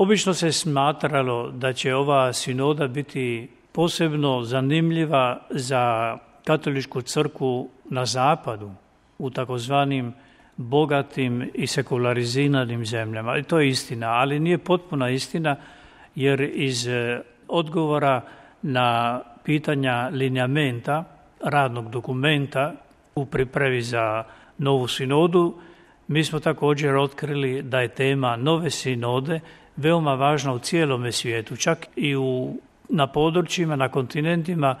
Obično se smatralo da će ova sinoda biti posebno zanimljiva za katoličku crkvu na zapadu, u takozvanim bogatim i sekulariziranim zemljama. I to je istina, ali nije potpuna istina, jer iz odgovora na pitanja lineamenta, radnog dokumenta u pripremi za novu sinodu, mi smo također otkrili da je tema nove sinode veoma važna u cijelome svijetu, čak i na područjima, na kontinentima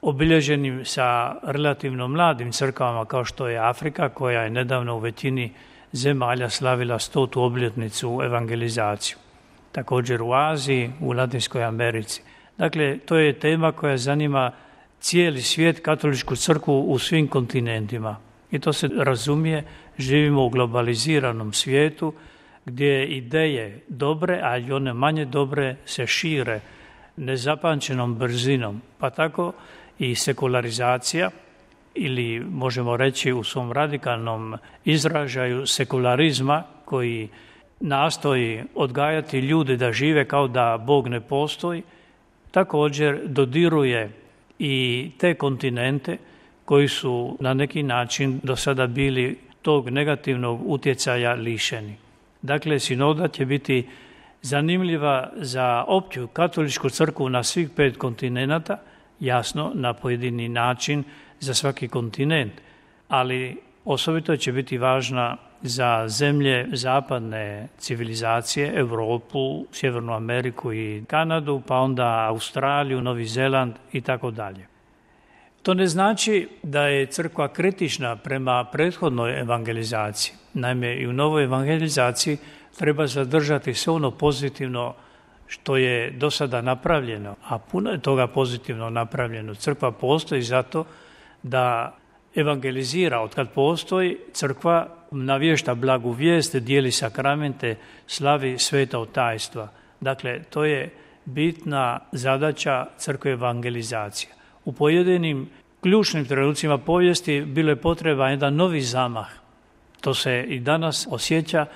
obilježenim sa relativno mladim crkvama kao što je Afrika, koja je nedavno u većini zemalja slavila 100. obljetnicu evangelizaciju. Također u Aziji, u Latinskoj Americi. Dakle, to je tema koja zanima cijeli svijet, katoličku crkvu u svim kontinentima. I to se razumije, živimo u globaliziranom svijetu gdje ideje dobre, a i one manje dobre se šire nezapamćenom brzinom. Pa tako i sekularizacija, ili možemo reći u svom radikalnom izražaju sekularizma, koji nastoji odgajati ljude da žive kao da Bog ne postoji, također dodiruje i te kontinente koji su na neki način do sada bili tog negativnog utjecaja lišeni. Dakle, sinoda će biti zanimljiva za opću katoličku crkvu na svih 5 kontinenata, jasno na pojedini način za svaki kontinent, ali osobito će biti važna za zemlje zapadne civilizacije, Europu, Sjevernu Ameriku i Kanadu, pa onda Australiju, Novi Zeland i tako dalje. To ne znači da je crkva kritična prema prethodnoj evangelizaciji. Naime, i u novoj evangelizaciji treba zadržati sve ono pozitivno što je do sada napravljeno, a puno je toga pozitivno napravljeno. Crkva postoji zato da evangelizira. Otkad postoji, crkva navješta blagu vijest, dijeli sakramente, slavi sveta tajstva. Dakle, to je bitna zadaća crkve evangelizacije. U pojedinim ključnim trenucima povijesti bilo je potreban jedan novi zamah. To se i danas osjeća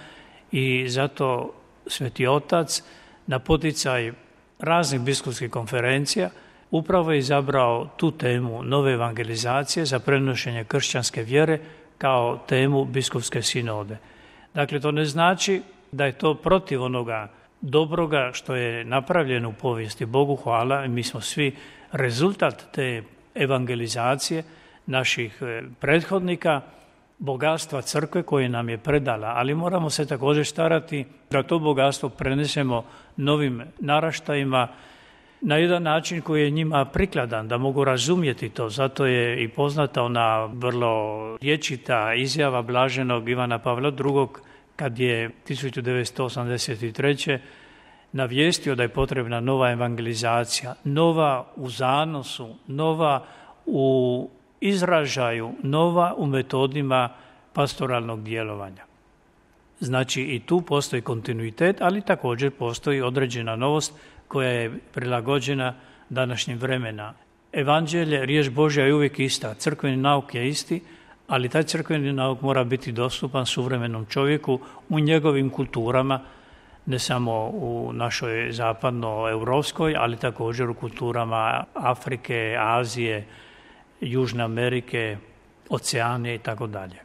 i zato Sveti Otac na poticaj raznih biskupskih konferencija upravo je izabrao tu temu nove evangelizacije za prenošenje kršćanske vjere kao temu biskupske sinode. Dakle, to ne znači da je to protiv onoga dobroga što je napravljeno u povijesti. Bogu hvala, mi smo svi rezultat te evangelizacije naših prethodnika, bogatstva crkve koje nam je predala, ali moramo se također starati da to bogatstvo prenesemo novim naraštajima na jedan način koji je njima prikladan, da mogu razumjeti to. Zato je i poznata ona vrlo rječita izjava blaženog Ivana Pavla II. Kad je 1983. navijestio da je potrebna nova evangelizacija, nova u zanosu, nova u izražaju, nova u metodima pastoralnog djelovanja. Znači i tu postoji kontinuitet, ali također postoji određena novost koja je prilagođena današnjim vremena. Evanđelje, riječ Božja je uvijek ista, crkveni nauk je isti, ali taj crkveni nauk mora biti dostupan suvremenom čovjeku u njegovim kulturama, ne samo u našoj zapadnoeuropskoj, ali također u kulturama Afrike, Azije, Južne Amerike, Oceanije i tako dalje.